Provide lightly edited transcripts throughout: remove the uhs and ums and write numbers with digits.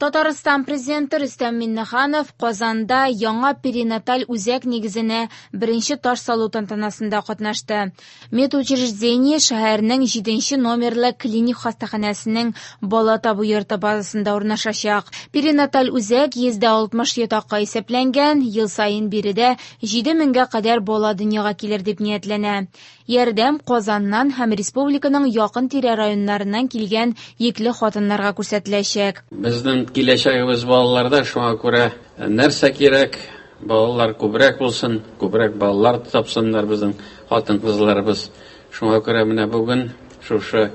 Татарстан Президенты Рөстәм Миңнеханов Казанда яңа перинаталь үзәк нигезенә беренче таш салу тантанасында катнашты. Медучреждение шәһәрнең 7 номерлы клиник хастаханәсенең бала табу йорты базасында урнашачак. Перинаталь үзәк 160 ятакка исәпләнгән, ел саен биредә 7 меңгә кадәр бала дөньяга килер дип ниятләнә. Ярдәм Казаннан һәм республиканың якын-тирә районнарыннан килгән йөкле хатыннарга күрсәтеләчәк. Безнең киләчәгебез балаларда, шуңа күрә нәрсә кирәк, балалар күбрәк булсын, күбрәк балалар тапсыннар безнең хатын-кызларыбыз. Шуңа күрә менә бүген шушы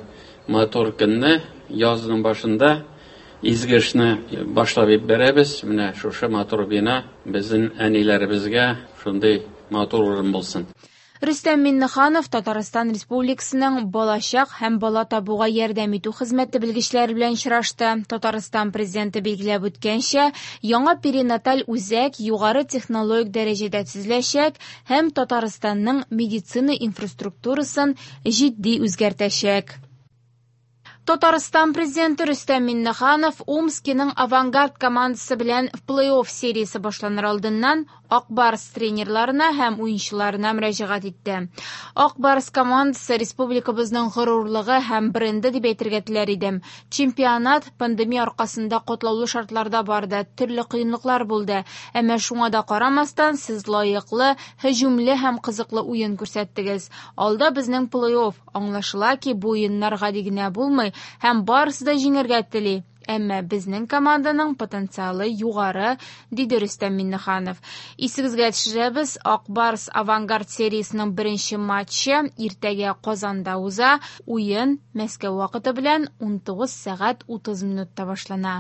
матур көнне, язның башында изге эшне башлап җибәрәбез. Менә шушы матур бина безнең әниләребезгә шундый матур урын булсын. Рөстәм Миңнеханов Татарстан Республикасының балачак һәм бала табуга ярдәм итү хезмәте белгечләре белән очрашты. Татарстан Президенты билгеләп үткәнчә, яңа перинаталь үзәк югары технологик дәрәҗәдә төзеләчәк һәм Татарстанның медицина инфраструктурасын җитди үзгәртәчәк. Татарстан Президенты Рөстәм Миңнеханов Омскиның Авангард командасы белән плей-офф сериясе башланыр алдыннан Ак Барс тренерларына һәм уенчыларына мөрәҗәгать итте. Ак Барс командасы республикабызның горурлыгы һәм бренды дип әйтергә теләр идем. Чемпионат пандемия аркасында катлаулы шартларда барды, төрле кыенлыклар булды. Әмма шуңа да карамастан, сез лаеклы, һөҗүмле һәм кызыклы уен күрсәттегез. Алда безнең плей-офф. Аңлашыла ки, бу уеннар гади генә булмый һәм барысы да җиңәргә тели. Әмма безнең команданың потенциалы югары, диде Рөстәм Миңнеханов. Исегезгә төшерәбез, Ак Барс Авангард сериясенең беренче матчы иртәгә Казанда уза. Уен Мәскәү вакыты белән 19 сәгать 30 минутта башлана.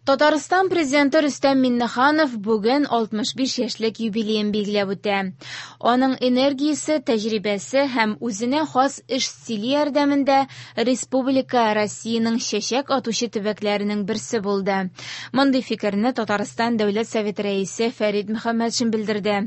Татарстан Президенты Рөстәм Миңнеханов бүген 65 яшьлек юбилеен билгеләп үтә. Аның энергиясе, тәҗрибәсе һәм үзенә хас эш стиле ярдәмендә республика Россиянең чәчәк атучы төбәкләренең берсе булды. Мондый фикерне Татарстан Дәүләт Советы рәисе Фәрит Мөхәммәтшин белдерде.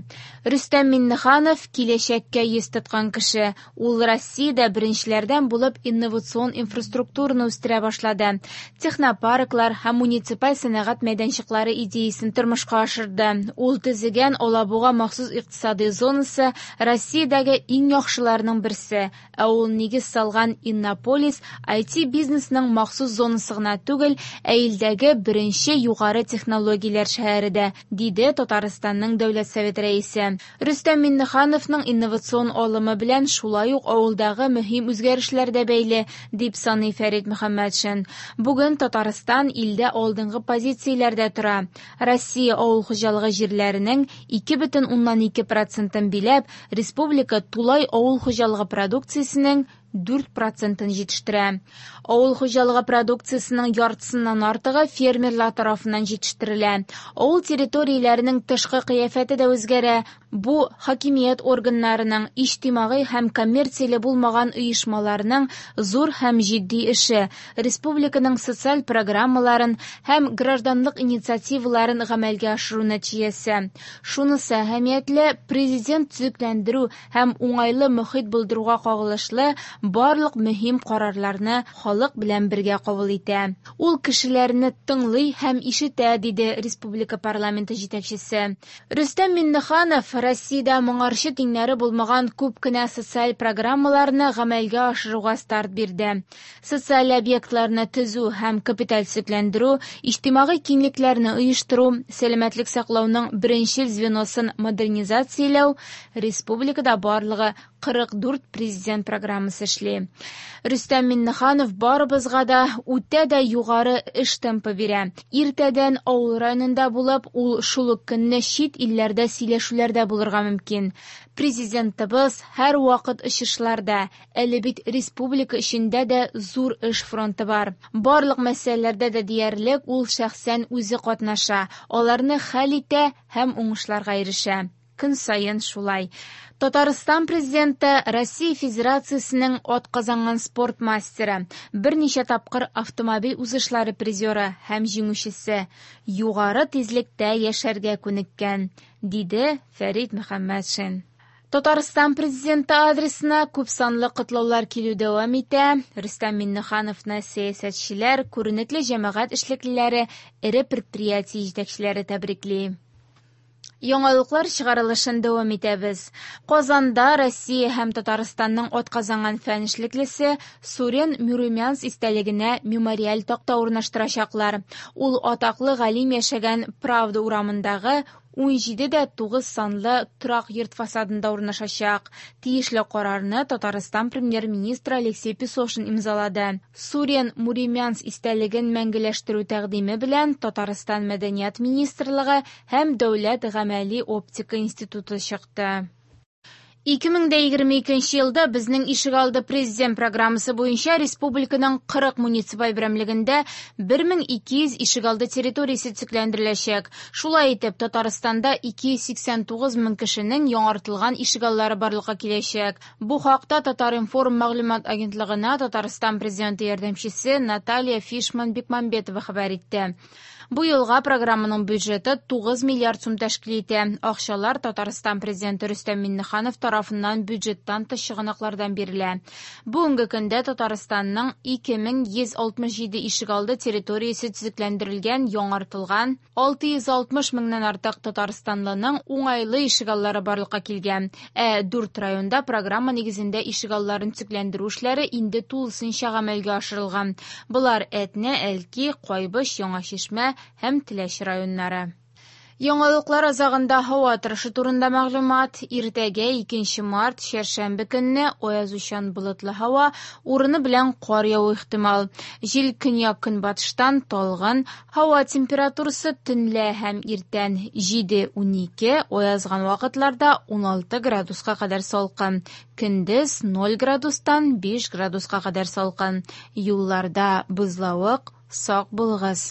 Рөстәм Миңнеханов киләчәккә йөз тоткан кеше. Ул Россиядә беренчеләрдән булып инновацион инфраструктураны үстерә башлады. Технопарклар һәм муниципаль сәнәгать мәйданчыклары идеясен тормышка ашырды. Ул төзегән Алабуга махсус икътисади зонасы Россиядәге иң яхшыларның берсе. Ә ул нигез салган Иннополис IT бизнесның махсус зонасы гына түгел, ә илдәге беренче югары технологияләр шәһәре дә, диде Татарстанның Дәүләт Советы рәисе. Рөстәм Миңнехановның инновацион алымы белән шулай ук авылдагы мөһим үзгәрешләр дә бәйле, дип саный Фәрит Мөхәммәтшин. Бүген Татарстан илдә алдынгы позицияләрдә тора. Россия авыл хуҗалыгы җирләренең 2,2 процентын биләп, республика тулай авыл хуҗалыгы продукциясенең 4 процентын җитештерә. Авыл хуҗалыгы продукциясенең яртысыннан артыгы фермерлар тарафыннан җитештерелә. Авыл территорияләренең тышкы кыяфәте дә үзгәрә. Бу хакимият органнарының, иҗтимагый һәм коммерцияле булмаган оешмаларның зур һәм җитди эше, республиканың социаль программаларын һәм гражданлык инициативаларын гамәлгә ашыру нәтиҗәсе. Шунысы әһәмиятле, президент төзекләндерү һәм уңайлы мохит булдыруга кагылышлы барлык мөһим карарларны халык белән бергә кабул итә. Ул кешеләрне тыңлый һәм ишетә, диде республика парламенты җитәкчесе. Рөстәм Миңнеханов Россиядә моңарчы тиңнәре булмаган күп кенә социаль программаларны гамәлгә ашыруга старт бирде. Социаль объектларны төзү һәм капиталь төзекләндерү, иҗтимагый киңлекләрне оештыру, сәламәтлек саклауның беренчел звеносын модернизацияләү республикада барлыгы 44 президент программасы эшли. Рөстәм Миңнеханов барыбызга да үтә дә югары эш темпы бирә. Иртәдән авыл районында булып, ул шул ук көнне чит илләрдә сөйләшүләрдә булырга мөмкин. Президентыбыз һәр вакыт очышларда, әле бит республика эчендә дә зур эш фронты бар. Барлык мәсьәләләрдә дә диярлек ул шәхсән үзе катнаша, аларны хәл итә һәм уңышларга ирешә. Көн саен шулай. Татарстан президенты Россия Федерациясенең атказанган спорт мастеры, берничә тапкыр автомобиль узышлары призеры һәм җиңүчесе, югары тизлектә яшәргә күнеккән, диде Фәрит Мөхәммәтшин. Татарстан Президенты адресына күпсанлы котлаулар килү дәвам итә. Рөстәм Миңнехановны сәясәтчеләр, күренекле җәмәгать эшлеклеләре, эре предприятие җитәкчеләре тәбрикли. Яңалыклар чыгарылышын дәвам итәбез. Казанда Россия һәм Татарстанның атказанган фән эшлеклесе Сурен Мюрумянц истәлегенә мемориаль такта урнаштырачаклар. Ул атаклы галим яшәгән Правда урамындагы 17,9 санлы торак йорт фасадында урнашачак. Тиешле карарны Татарстан премьер-министры Алексей Песошин имзалады. Сурен Муримянц истәлеген мәңгеләштерү тәкъдиме белән Татарстан Мәдәният министрлыгы һәм Дәүләт гамәли оптика институты чыкты. 2022 елда Безнең ишегалды президент программасы буенча республиканың 40 муниципаль берәмлегендә 1200 ишегалды территориясе төзекләндереләчәк. Шулай итеп, Татарстанда 289 мең кешенең яңартылган ишегаллары барлыкка киләчәк. Бу хакта Татар-информ мәгълүмат агентлыгына Татарстан президенты ярдәмчесе Наталья Фишман-Бекмамбетова хәбәр итте. Бу елга программаның бюджеты 9 миллиард сум тәшкил итә. Акчалар Татарстан Президенты Рөстәм Миңнеханов тарафыннан бюджеттан тыш чыганаклардан бирелә. Бүгенге көндә Татарстанның 2167 ишегалды территориясе төзекләндерелгән, яңартылган, 660 меңнән артык татарстанлының уңайлы ишегаллары барлыкка килгән. Ә дүрт районда программа нигезендә ишегалларын төзекләндерү эшләре инде тулысынча гамәлгә ашырылган. Болар Әтнә, Әлки, Кайбыч, Яңа Чишмә һәм Теләче районнары. Яңалыклар азагында һава торышы турында мәгълүмат. Иртәгә 2 март, чәршәмбе көнне аязучан болытлы һава, урыны белән кар яву ихтимал. Җил көньяк-көнбатыштан талгын, һава температурасы төнлә һәм иртән 7-12, аязган вакытларда 16 градуска кадәр салкын. Көндез 0 градустан 5 градуска кадәр салкын. Юлларда бозлавык, сак булыгыз.